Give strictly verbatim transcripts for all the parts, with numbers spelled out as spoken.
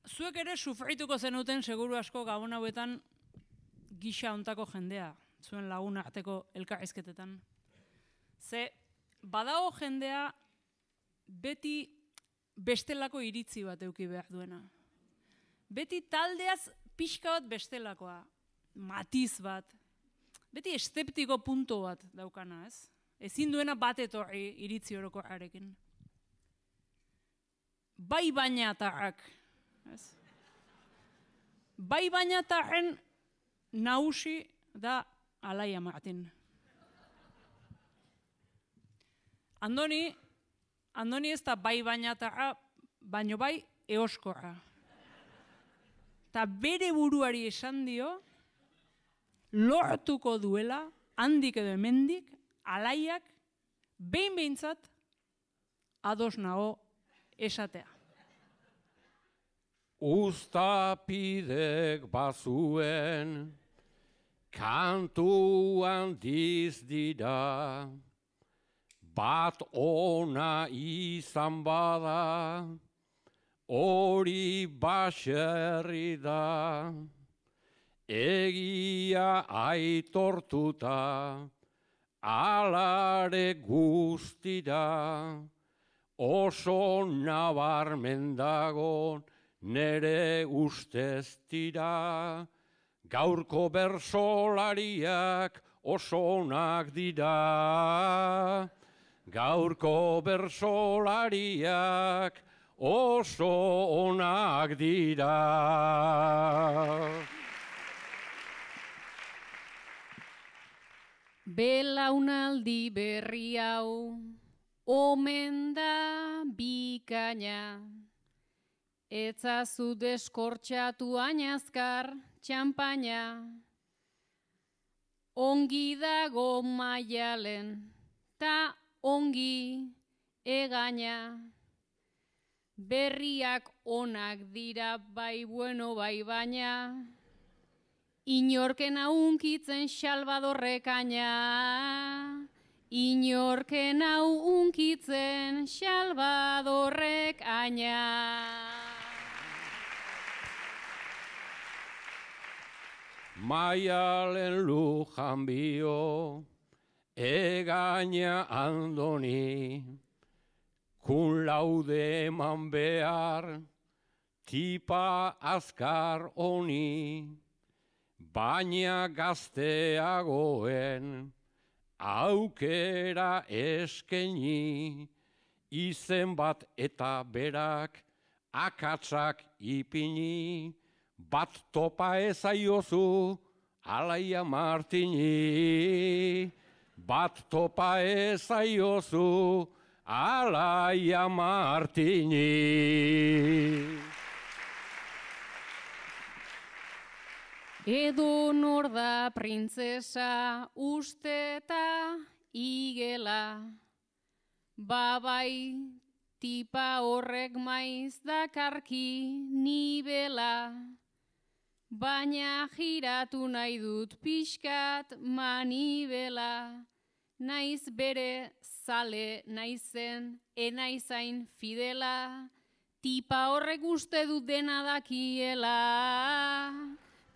zuek ere sufrituko zenuten seguru asko gabon hauetan gisa ontako jendea, zuen lagun arteko elkarrizketetan. Ze, badago jendea beti bestelako iritzi bat eduki behar duena. Beti taldeaz pixka bat bestelakoa, matiz bat, beti esteptiko punto bat daukana, ez? Ezin duena bat etorri iritzi orokorrarekin. Bai baina atarrak, ez? Bai baina atarren nagusi da Alaia Martin. Andoni, Andoni ez da bai baina atarra, baino bai eoskorra. Ta bere buruari esan dio, lortuko duela, handik edo hemendik, Alaiak, behin behintzat, ados nago esatea. Uztapidek bazuen, kantu handiz dira, bat ona izan bada, hori baserri da, egia aitortuta, alare guztira, oso nabarmen dagon nere ustez dira, gaurko bersolariak oso onak dira, gaurko bersolariak oso onak dira. Belaunaldi berri hau, omen da bikaina, etzazu deskortxatu ainazkar txampaina, ongi dago maialen, ta ongi egaina, berriak onak dira bai bueno bai baina, inorkena unkitzen Salvadorrekaina, inorkena unkitzen Salvadorrekaina. Maialen lujan bio, egaina Andoni, kun laude eman behar, tipa azkar honi, baina gazteagoen, aukera eskeni, izen bat eta berak, akatsak ipini, bat topa ezaiozu, Alaia Martini, bat topa ezaiozu, Alaia Martini. Edo nor da printzesa usteta igela, babai tipa horrek maiz dakarki nibela, baina giratu nahi dut pixkat manibela, naiz bere zale naizen enaizain fidela, tipa horrek uste dut dena dakiela.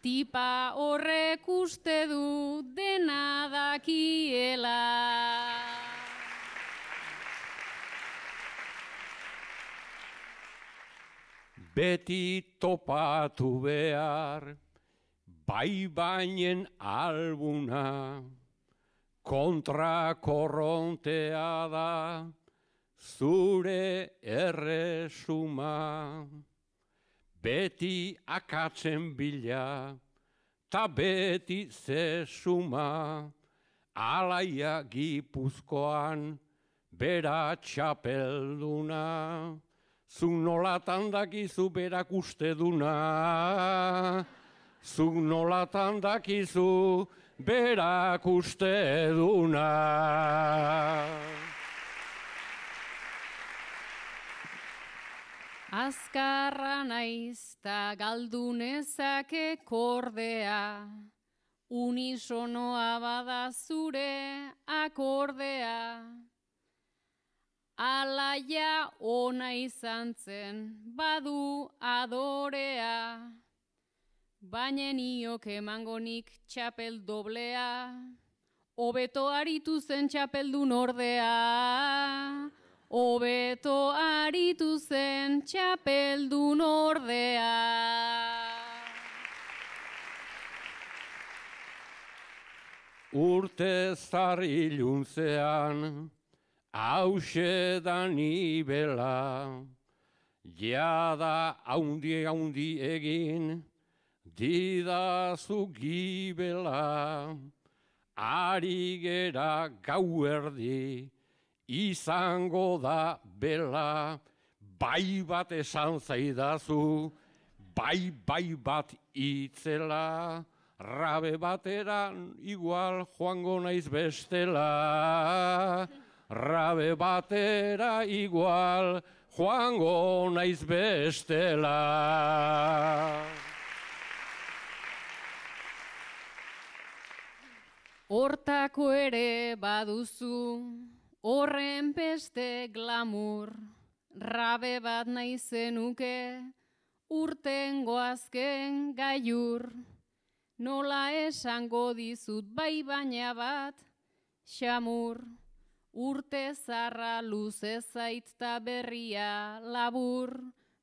Tipa horrek uste du dena dakiela. Beti topatu behar, bai bainen albuna, kontra korrontea da, zure erresuma. Beti akatzen bila, ta beti zesuma, Alaia Gipuzkoan, bera txapelduna, zu nolatan dakizu berak uste duna, zu nolatan dakizu berak uste duna. Azkarra naiz ta galdu nezake kordea, unisonoa bada zure akordea. alaia ona izan zen, badu adorea, baina niok emangonik txapel doblea, hobeto aritu zen txapeldun ordea, hobeto aritu zen txapeldun ordea. Urte zarri iluntzean, hause da nibela, jada haundi haundi egin, didazu gibela, ari gera gauerdi, izango da bela, bai bat esan zaidazu, bai bai bat itzela, rabe bateran igual joango naiz bestela, rabe batera igual joango naiz bestela. Hortako ere baduzu, horren beste glamur, rabe bat nahi zenuke, urtengo azken gaiur. Nola esango dizut bai baina bat, xamur, urte zarra luze zait ta berria labur,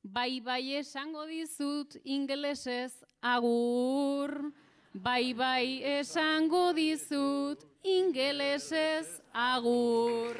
bai bai esango dizut ingelesez agur, bai bai esango dizut ingelesez agur.